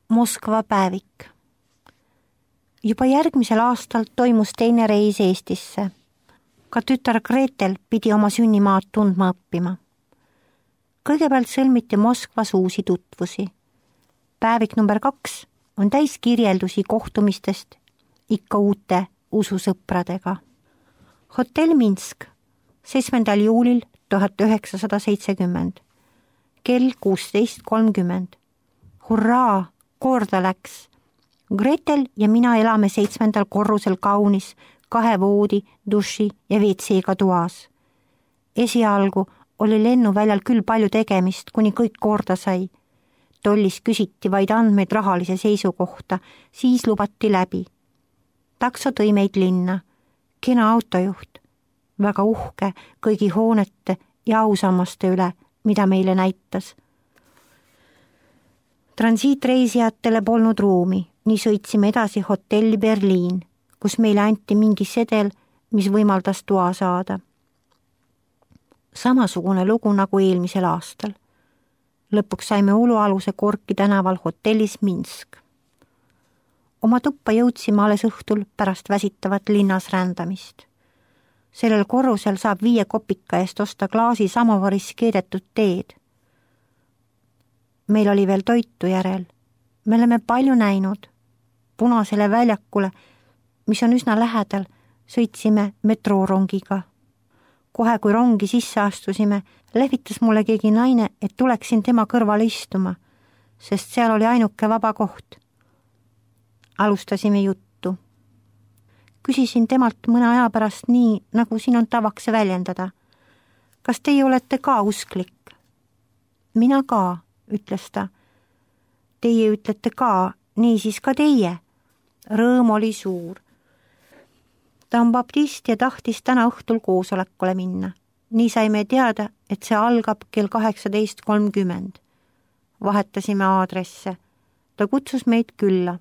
Moskva päevik. Juba järgmisel aastal toimus teine reis Eestisse. Ka tütar Gretel pidi oma sünnimaad tundma õppima. Kõigepealt sõlmiti Moskvas uusi tutvusi. Päevik number 2 on täis kirjeldusi kohtumistest ikka uute ususõpradega. Hotell Minsk, 7. juulil 1970, kell 16:30. Hurraa, korda läks! Gretel ja mina elame 7. korrusel kaunis 2 voodi, duši ja WC-ga toas. Esialgu oli lennuväljal küll palju tegemist, kuni kõik korda sai. Tollis küsiti vaid andmeid rahalise seisu kohta, siis lubati läbi. Takso tõi meid linna. Kena autojuht, väga uhke kõigi hoonete ja ausammaste üle, mida meile näitas. Transiitreisijatele polnud ruumi, nii sõitsime edasi hotelli Berliin, kus meile anti mingi sedel, mis võimaldas toa saada. Samasugune lugu nagu eelmisel aastal. Lõpuks saime ulualuse Korki tänaval hotellis Minsk. Oma tuppa jõudsime alles õhtul pärast väsitavat linnas rändamist. Sellel korrusel saab 5 kopika eest osta klaasi samovaris keedetud teed. Meil oli veel toitu järel. Me oleme palju näinud. Punasele väljakule, mis on üsna lähedal, sõitsime metroorongiga. Kohe kui rongi sisse astusime, lehvitas mulle keegi naine, et tuleksin tema kõrvale istuma, sest seal oli ainuke vaba koht. Alustasime juttu. Küsisin temalt mõne aja pärast nii, nagu siin on tavaks väljendada. Kas teie olete ka usklik? Mina ka, ütles ta. Teie ütlete ka, nii siis ka teie. Rõõm oli suur. Ta on baptist ja tahtis täna õhtul koosolekule minna. Nii saime teada, et see algab kell 18:30. Vahetasime aadresse. Ta kutsus meid külla.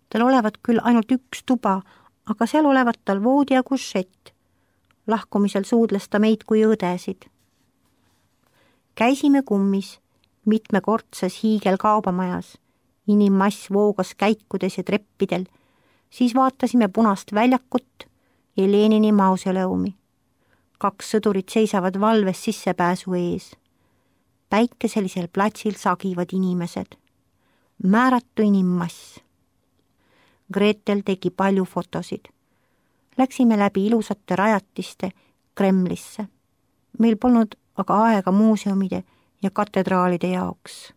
Tal olevat küll ainult 1 tuba, aga seal olevat tal voodi ja kušett. Lahkumisel suudles ta meid kui õdesid. Käisime kummis, mitmekordses hiigelkaubamajas. Inimmass voogas käikudes ja treppidel. Siis vaatasime punast väljakut ja Lenini mausoleumi. 2 sõdurit seisavad valves sissepääsu ees. Päikeselisel platsil sagivad inimesed. Määratu inimmass. Gretel tegi palju fotosid. Läksime läbi ilusate rajatiste Kremlisse. Meil polnud aga aega muuseumide ja katedraalide jaoks.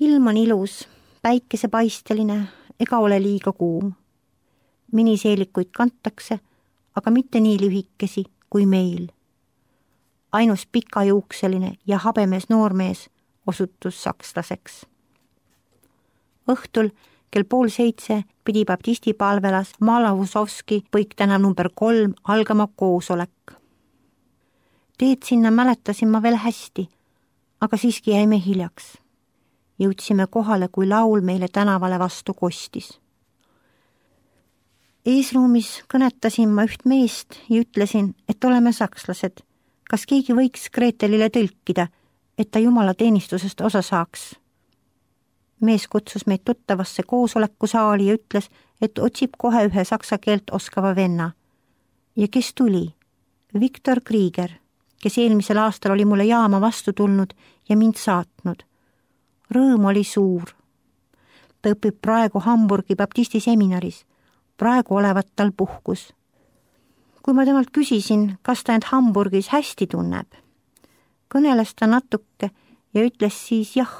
Ilm on ilus, päikesepaisteline, ega ole liiga kuum. Miniseelikuid kantakse, aga mitte nii lühikesi kui meil. Ainus pikajuukseline ja habemees noormees osutus sakslaseks. Õhtul kell 6:30 pidi baptistipalvelas Malavusovski põiktänav number 3 algama koosolek. Teed sinna mäletasin ma veel hästi, aga siiski jäime hiljaks. Jõudsime kohale, kui laul meile tänavale vastu kostis. Eesruumis kõnetasin ma üht meest ja ütlesin, et oleme sakslased. Kas keegi võiks Gretelile tõlkida, et ta jumalateenistusest osa saaks? Mees kutsus meid tuttavasse koosolekusaali ja ütles, et otsib kohe ühe saksa keelt oskava venna. Ja kes tuli? Viktor Krieger, kes eelmisel aastal oli mulle jaama vastu tulnud ja mind saatnud. Rõõm oli suur. Ta õpib praegu Hamburgi baptisti seminaris. Praegu olevat tal puhkus. Kui ma temalt küsisin, kas ta end Hamburgis hästi tunneb, kõneles ta natuke ja ütles siis jah.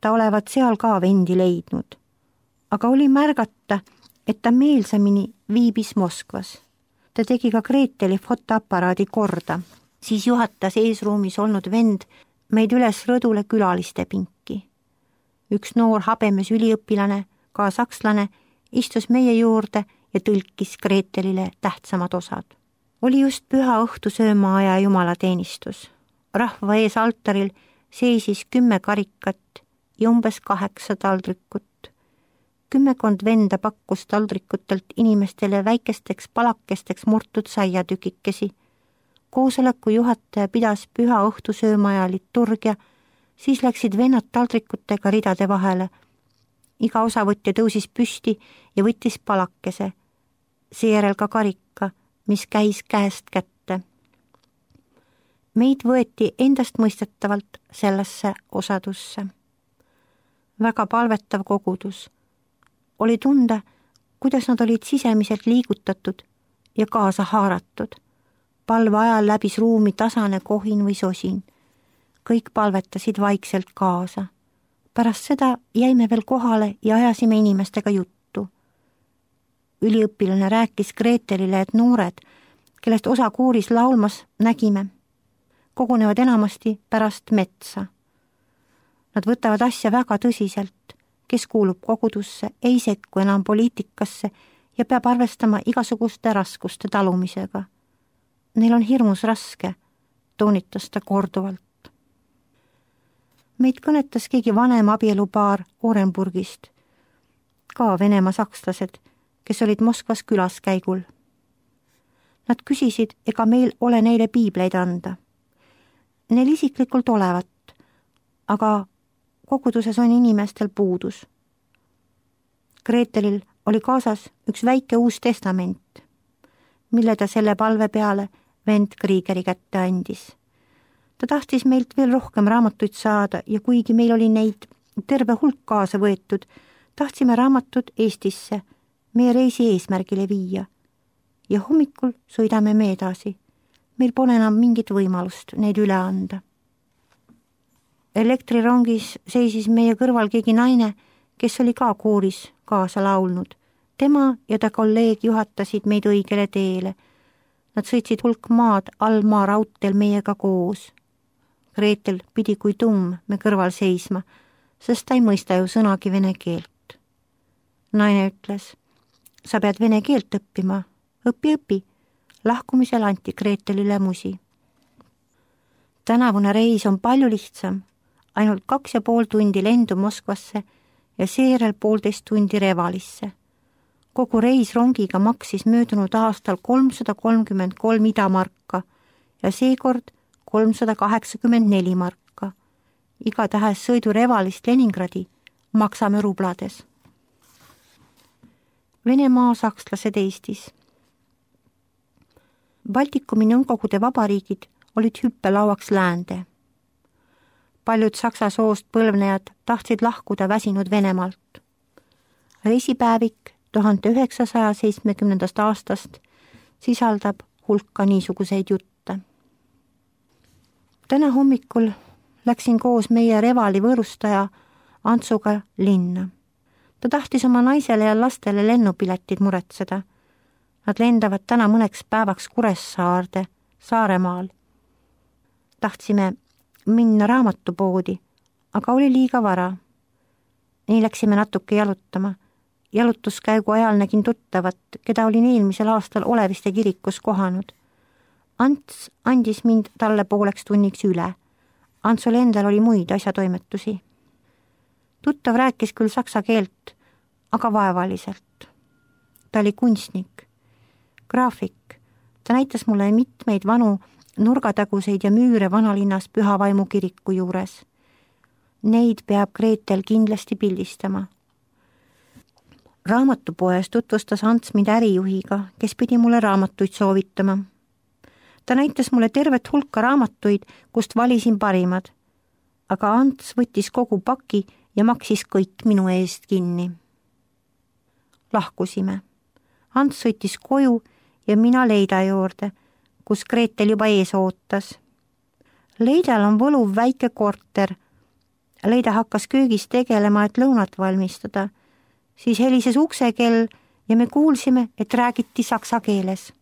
Ta olevat seal ka vendi leidnud. Aga oli märgata, et ta meelsamini viibis Moskvas. Ta tegi ka Greteli fotoaparaadi korda. Siis juhatas eesruumis olnud vend meid üles rõdule külaliste pinki. Üks noor habemes üliõpilane, ka sakslane, istus meie juurde ja tõlkis Gretelile tähtsamad osad. Oli just püha õhtusöömaaja jumalateenistus. Rahva ees altaril seisis 10 karikat ja umbes 8 taldrikut. 10 venda pakkus taldrikutelt inimestele väikesteks palakesteks murtud saiatükikesi. Koosoleku juhataja pidas püha õhtusöömaja liturgia, siis läksid vennad taldrikutega ridade vahele. Iga osavõtja tõusis püsti ja võttis palakese, seejärel ka karika, mis käis käest kätte. Meid võeti endastmõistetavalt sellesse osadusse. Väga palvetav kogudus. Oli tunda, kuidas nad olid sisemiselt liigutatud ja kaasa haaratud. Palve ajal läbis ruumi tasane kohin või sosin. Kõik palvetasid vaikselt kaasa. Pärast seda jäime veel kohale ja ajasime inimestega juttu. Üliõpilane rääkis Gretelile, et noored, kellest osa kooris laulmas nägime, kogunevad enamasti pärast metsa. Nad võtavad asja väga tõsiselt, kes kuulub kogudusse, ei sekku enam poliitikasse ja peab arvestama igasuguste raskuste talumisega. Neil on hirmus raske, toonitas ta korduvalt. Meid kõnetas keegi vanem abielupaar Orenburgist, ka Venemaa sakslased, kes olid Moskvas külaskäigul. Nad küsisid, ega meil ole neile piibleid anda. Neil isiklikult olevat, aga koguduses on inimestel puudus. Gretelil oli kaasas üks väike uus testament, mille ta selle palve peale vend Kriegeri kätte andis. Ta tahtis meilt veel rohkem raamatuid saada ja kuigi meil oli neid terve hulk kaasa võetud, tahtsime raamatud Eestisse meie reisi eesmärgile viia. Ja hommikul sõidame me edasi. Meil pole enam mingit võimalust neid üle anda. Elektrirongis seisis meie kõrval keegi naine, kes oli ka kooris kaasa laulnud. Tema ja ta kolleeg juhatasid meid õigele teele. Nad sõitsid hulk maad allmaa raudteel meiega koos. Gretel pidi kui tumm me kõrval seisma, sest ta ei mõista ju sõnagi vene keelt. Naine ütles, sa pead vene keelt õppima, õpi. Lahkumisel anti Gretelile musi. Tänavune reis on palju lihtsam, ainult 2,5 tundi lendu Moskvasse ja seejärel 1,5 tundi Revalisse. Kogu reis rongiga maksis möödunud aastal 333 idamarka ja seekord 384 marka. Igatahes sõidu Revalist Leningradi maksame rublades. Venemaa sakslased Eestis. Baltikumi nõukogude vabariigid olid hüppelauaks läände. Paljud saksa soost põlvnejad tahtsid lahkuda väsinud Venemaalt. Reisipäevik 1970. aastast sisaldab hulka niisuguseid jutte. Täna hommikul läksin koos meie Revali võõrustaja Antsuga linna. Ta tahtis oma naisele ja lastele lennupiletid muretseda. Nad lendavad täna mõneks päevaks Kuressaarde, Saaremaal. Tahtsime minna raamatupoodi, aga oli liiga vara. Nii läksime natuke jalutama. Jalutuskäigu ajal nägin tuttavat, keda olin eelmisel aastal Oleviste kirikus kohanud. Ants andis mind talle 1,5 tunniks üle. Antsul endal oli muid asjatoimetusi. Tuttav rääkis küll saksa keelt, aga vaevaliselt. Ta oli kunstnik, graafik. Ta näitas mulle mitmeid vanu nurgataguseid ja müüre vanalinnas Pühavaimu kiriku juures. Neid peab Gretel kindlasti pildistama. Raamatupoes tutvustas Ants mind ärijuhiga, kes pidi mulle raamatuid soovitama. Ta näitas mulle tervet hulka raamatuid, kust valisin parimad, aga Ants võttis kogu paki ja maksis kõik minu eest kinni. Lahkusime. Ants sõitis koju ja mina Leida juurde, kus Gretel juba ees ootas. Leidal on võluv väike korter. Leida hakkas köögis tegelema, et lõunat valmistada. Siis helises uksekell ja me kuulsime, et räägiti saksa keeles.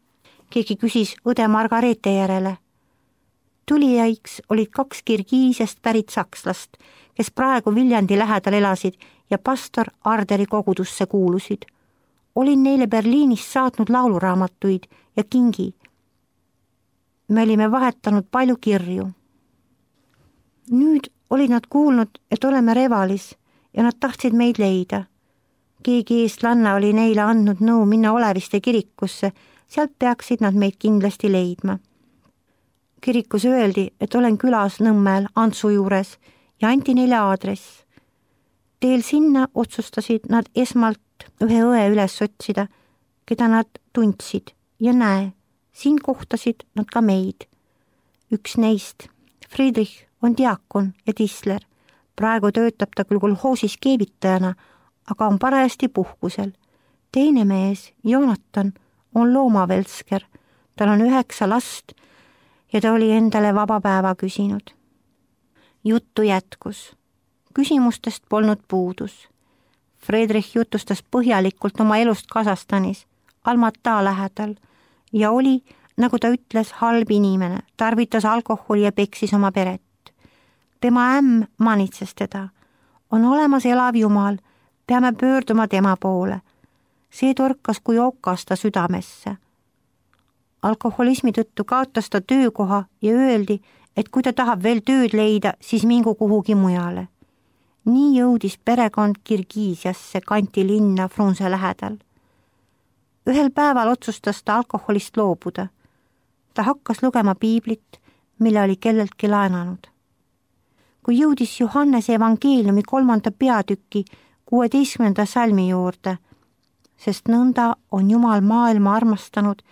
Keegi küsis õde Margareete järele. Tulijaiks olid 2 Kirgiisest pärit sakslast, kes praegu Viljandi lähedal elasid ja pastor Arderi kogudusse kuulusid. Olin neile Berliinist saatnud lauluraamatuid ja kingi. Me olime vahetanud palju kirju. Nüüd olid nad kuulnud, et oleme Revalis ja nad tahtsid meid leida. Keegi eestlanna oli neile andnud nõu minna Oleviste kirikusse, sealt peaksid nad meid kindlasti leidma. Kirikus öeldi, et olen külas Nõmmel Antsu juures ja anti neile aadress. Teel sinna otsustasid nad esmalt ühe õe üles otsida, keda nad tundsid ja näe, siin kohtasid nad ka meid. Üks neist, Friedrich, on diakon ja tisler. Praegu töötab ta küll kolhoosis keevitajana, aga on parajasti puhkusel. Teine mees, Jonathan, on loomavelsker. Tal on 9 last ja ta oli endale vaba päeva küsinud. Juttu jätkus. Küsimustest polnud puudus. Friedrich jutustas põhjalikult oma elust Kasahstanis, Almata lähedal ja oli, nagu ta ütles, halb inimene, tarvitas alkoholi ja peksis oma peret. Tema ämm manitses teda. On olemas elav Jumal, peame pöörduma tema poole. See torkas kui okas ta südamesse. Alkoholismi tõttu kaotas ta töökoha ja öeldi, et kui ta tahab veel tööd leida, siis mingu kuhugi mujale. Nii jõudis perekond Kirgiisiasse kanti linna Frunze lähedal. Ühel päeval otsustas ta alkoholist loobuda. Ta hakkas lugema piiblit, mille oli kelleltki laenanud. Kui jõudis Johannese evangeeliumi 3. peatüki 16. salmi juurde, sest nõnda on Jumal maailma armastanud,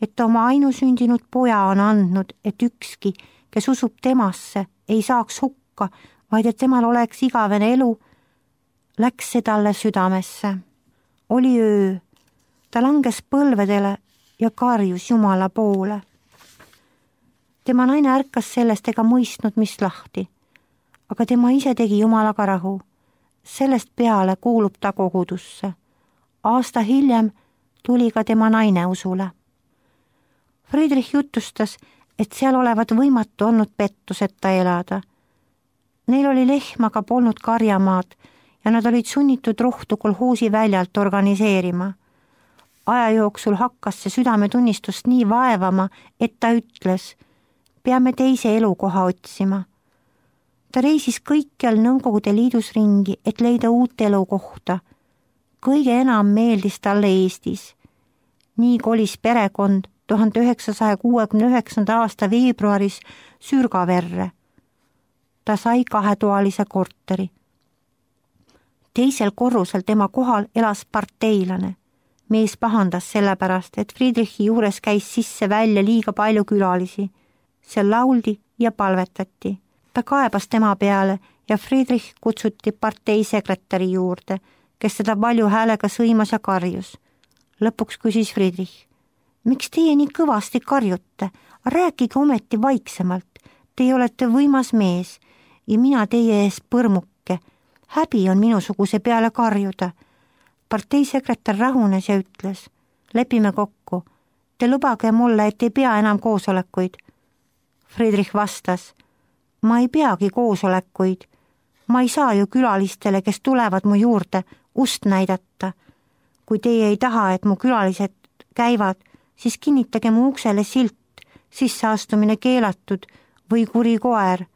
et ta oma ainusündinud poja on andnud, et ükski, kes usub temasse, ei saaks hukka, vaid et temal oleks igavene elu, läks see talle südamesse. Oli öö, ta langes põlvedele ja karjus Jumala poole. Tema naine ärkas sellest ega mõistnud, mis lahti, aga tema ise tegi Jumalaga rahu. Sellest peale kuulub ta kogudusse. Aasta hiljem tuli ka tema naine usule. Friedrich jutustas, et seal olevat võimatu olnud pettuseta elada. Neil oli lehm, aga polnud karjamaad ja nad olid sunnitud rohtu kolhoosi väljalt organiseerima. Aja jooksul hakkas see südametunnistust nii vaevama, et ta ütles, peame teise elukoha otsima. Ta reisis kõikjal Nõukogude Liidus ringi, et leida uut elukohta. Kõige enam meeldis talle Eestis. Nii kolis perekond 1969. aasta veebruaris Sürgaverre. Ta sai 2-toalise korteri. Teisel korrusel tema kohal elas parteilane. Mees pahandas sellepärast, et Friedrichi juures käis sisse välja liiga palju külalisi. Seal lauldi ja palvetati. Ta kaebas tema peale ja Friedrich kutsuti parteisekretäri juurde, kes teda palju häälega sõimas ja karjus. Lõpuks küsis Friedrich, miks teie nii kõvasti karjute? Rääkige ometi vaiksemalt. Teie olete võimas mees ja mina teie ees põrmuke. Häbi on minusuguse peale karjuda. Parteisekretär rahunes ja ütles, lepime kokku. Te lubage mulle, et ei pea enam koosolekuid. Friedrich vastas, ma ei peagi koosolekuid. Ma ei saa ju külalistele, kes tulevad mu juurde, ust näidata. Kui teie ei taha, et mu külalised käivad, siis kinnitage mu uksele silt, sisseastumine keelatud või kuri koer.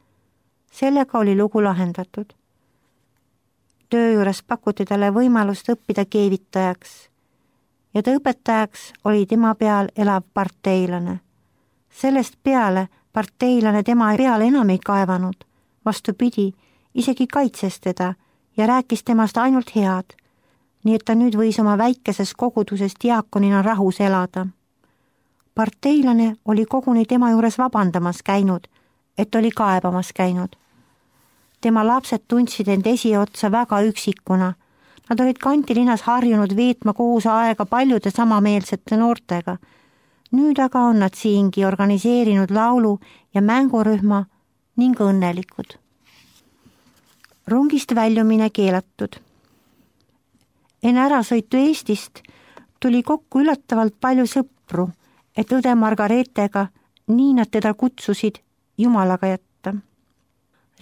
Sellega oli lugu lahendatud. Töö juures pakuti talle võimalust õppida keevitajaks ja ta õpetajaks oli tema peal elav parteilane. Sellest peale parteilane tema peale enam ei kaevanud, vastupidi, isegi kaitses teda ja rääkis temast ainult head, nii et ta nüüd võis oma väikeses koguduses diakonina rahus elada. Parteilane oli koguni tema juures vabandamas käinud, et oli kaebamas käinud. Tema lapsed tundsid end esiotsa väga üksikuna. Nad olid kantilinnas harjunud veetma koos aega paljude samameelsete noortega. Nüüd aga on nad siingi organiseerinud laulu- ja mängurühma ning õnnelikud. Rongist väljumine keelatud. Enne ärasõitu Eestist tuli kokku üllatavalt palju sõpru, et õde Margaretega, nii nad teda kutsusid, Jumalaga jätta.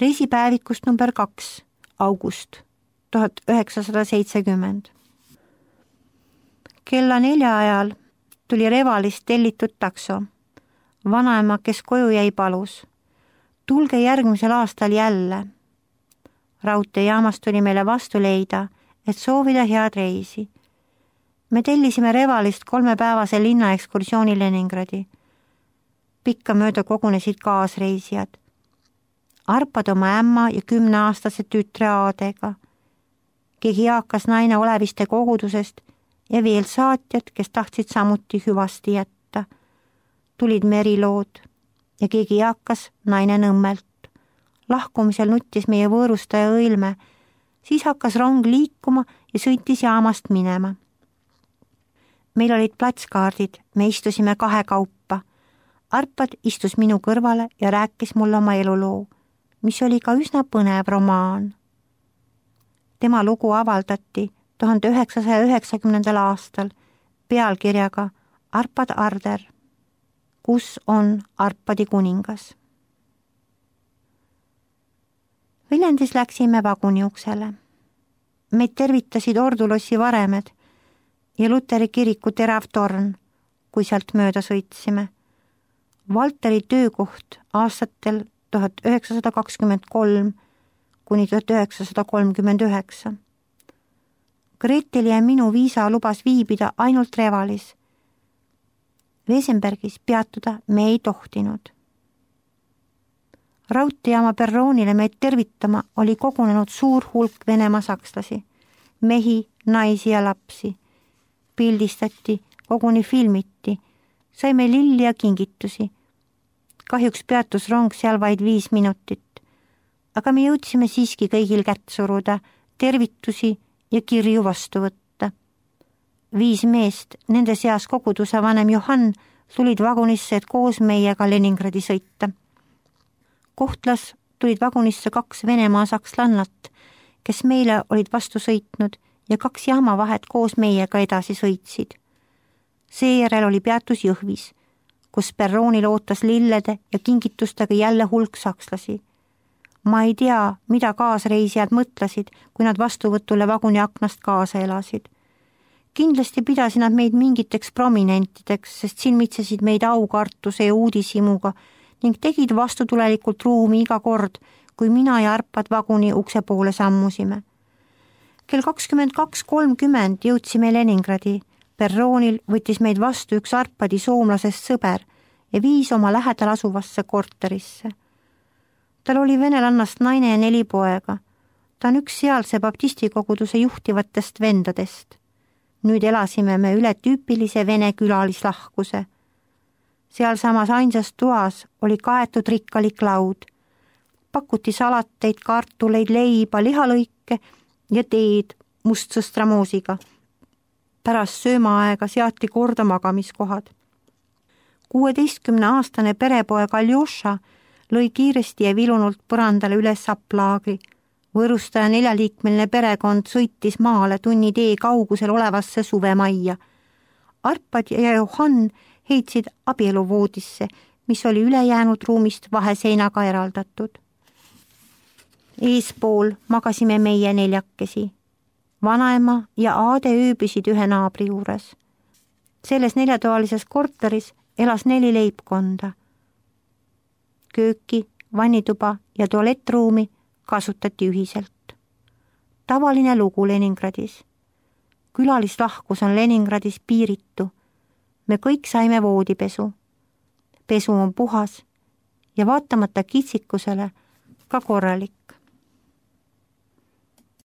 Reisipäevikust number 2, august 1970. Kella 4 ajal tuli Revalist tellitud takso. Vanaema, kes koju jäi, palus. Tulge järgmisel aastal jälle. Raudteejaamas tuli meile vastu leida, et soovida head reisi. Me tellisime Revalist 3-päevase linnaekskursiooni Leningradi. Pikka mööda kogunesid kaasreisijad. Arpad oma ämma ja 10-aastase tütre Aadega. Keegi eakas naine oleviste kogudusest ja veel saatjad, kes tahtsid samuti hüvasti jätta. Tulid merilood ja keegi eakas naine Nõmmelt. Lahkumisel nuttis meie võõrustaja õilme, siis hakkas rong liikuma ja sõitis jaamast minema. Meil olid platskaardid, me istusime 2 kaupa. Arpad istus minu kõrvale ja rääkis mulle oma eluloo, mis oli ka üsna põnev romaan. Tema lugu avaldati 1990. aastal pealkirjaga Arpad Arder, kus on Arpadi kuningas. Viljandis läksime vaguniuksele. Meid tervitasid Ordulossi varemed ja Luteri kiriku terav torn, kui sealt mööda sõitsime. Valteri töökoht aastatel 1923 kuni 1939. Greeteli ja minu viisa lubas viibida ainult Revalis. Wesenbergis peatuda me ei tohtinud. Raudteejaama perroonile meid tervitama oli kogunenud suur hulk Venemaa sakslasi, mehi, naisi ja lapsi. Pildistati, koguni filmiti, saime lilli ja kingitusi. Kahjuks peatus rong seal vaid 5 minutit, aga me jõudsime siiski kõigil kätt suruda, tervitusi ja kirju vastu võtta. 5 meest, nende seas koguduse vanem Johann, tulid vagunisse, et koos meiega Leningradi sõita. Kohtlas tulid vagunisse 2 Venemaa sakslannat, kes meile olid vastu sõitnud ja 2 jaamavahet koos meiega edasi sõitsid. Seejärel oli peatus Jõhvis, kus perroonil ootas lillede ja kingitustega jälle hulk sakslasi. Ma ei tea, mida kaasreisijad mõtlesid, kui nad vastuvõtule vaguni aknast kaasa elasid. Kindlasti pidasid nad meid mingiteks prominentideks, sest silmitsesid meid aukartuse ja uudishimuga ning tegid vastutulelikult ruumi iga kord, kui mina ja Arpad vaguni ukse poole sammusime. Kell 22:30 jõudsime Leningradi. Perroonil võttis meid vastu üks Arpadi soomlasest sõber ja viis oma lähedal asuvasse korterisse. Tal oli venelannast naine ja 4 poega. Ta on üks sealse baptistikoguduse juhtivatest vendadest. Nüüd elasime me üle tüüpilise vene külalislahkuse. Sealsamas ainsas toas oli kaetud rikkalik laud. Pakuti salateid, kartuleid, leiba, lihalõike ja teed mustsõstramoosiga. Pärast söömaaega seati korda magamiskohad. 16-aastane perepoeg Aljoša lõi kiiresti ja vilunult põrandale üles sapplaagri. Võõrustaja 4-liikmeline perekond sõitis maale tunni tee kaugusel olevasse suvemajja. Arpad ja Johann heitsid abieluvoodisse, mis oli ülejäänud ruumist vaheseinaga eraldatud. Eespool magasime meie 4. Vanaema ja Aade ööbisid ühe naabri juures. Selles 4-toalises korteris elas 4 leibkonda. Kööki, vannituba ja tualettruumi kasutati ühiselt. Tavaline lugu Leningradis. Külalislahkus on Leningradis piiritu. Me kõik saime voodipesu. Pesu on puhas ja vaatamata kitsikusele ka korralik.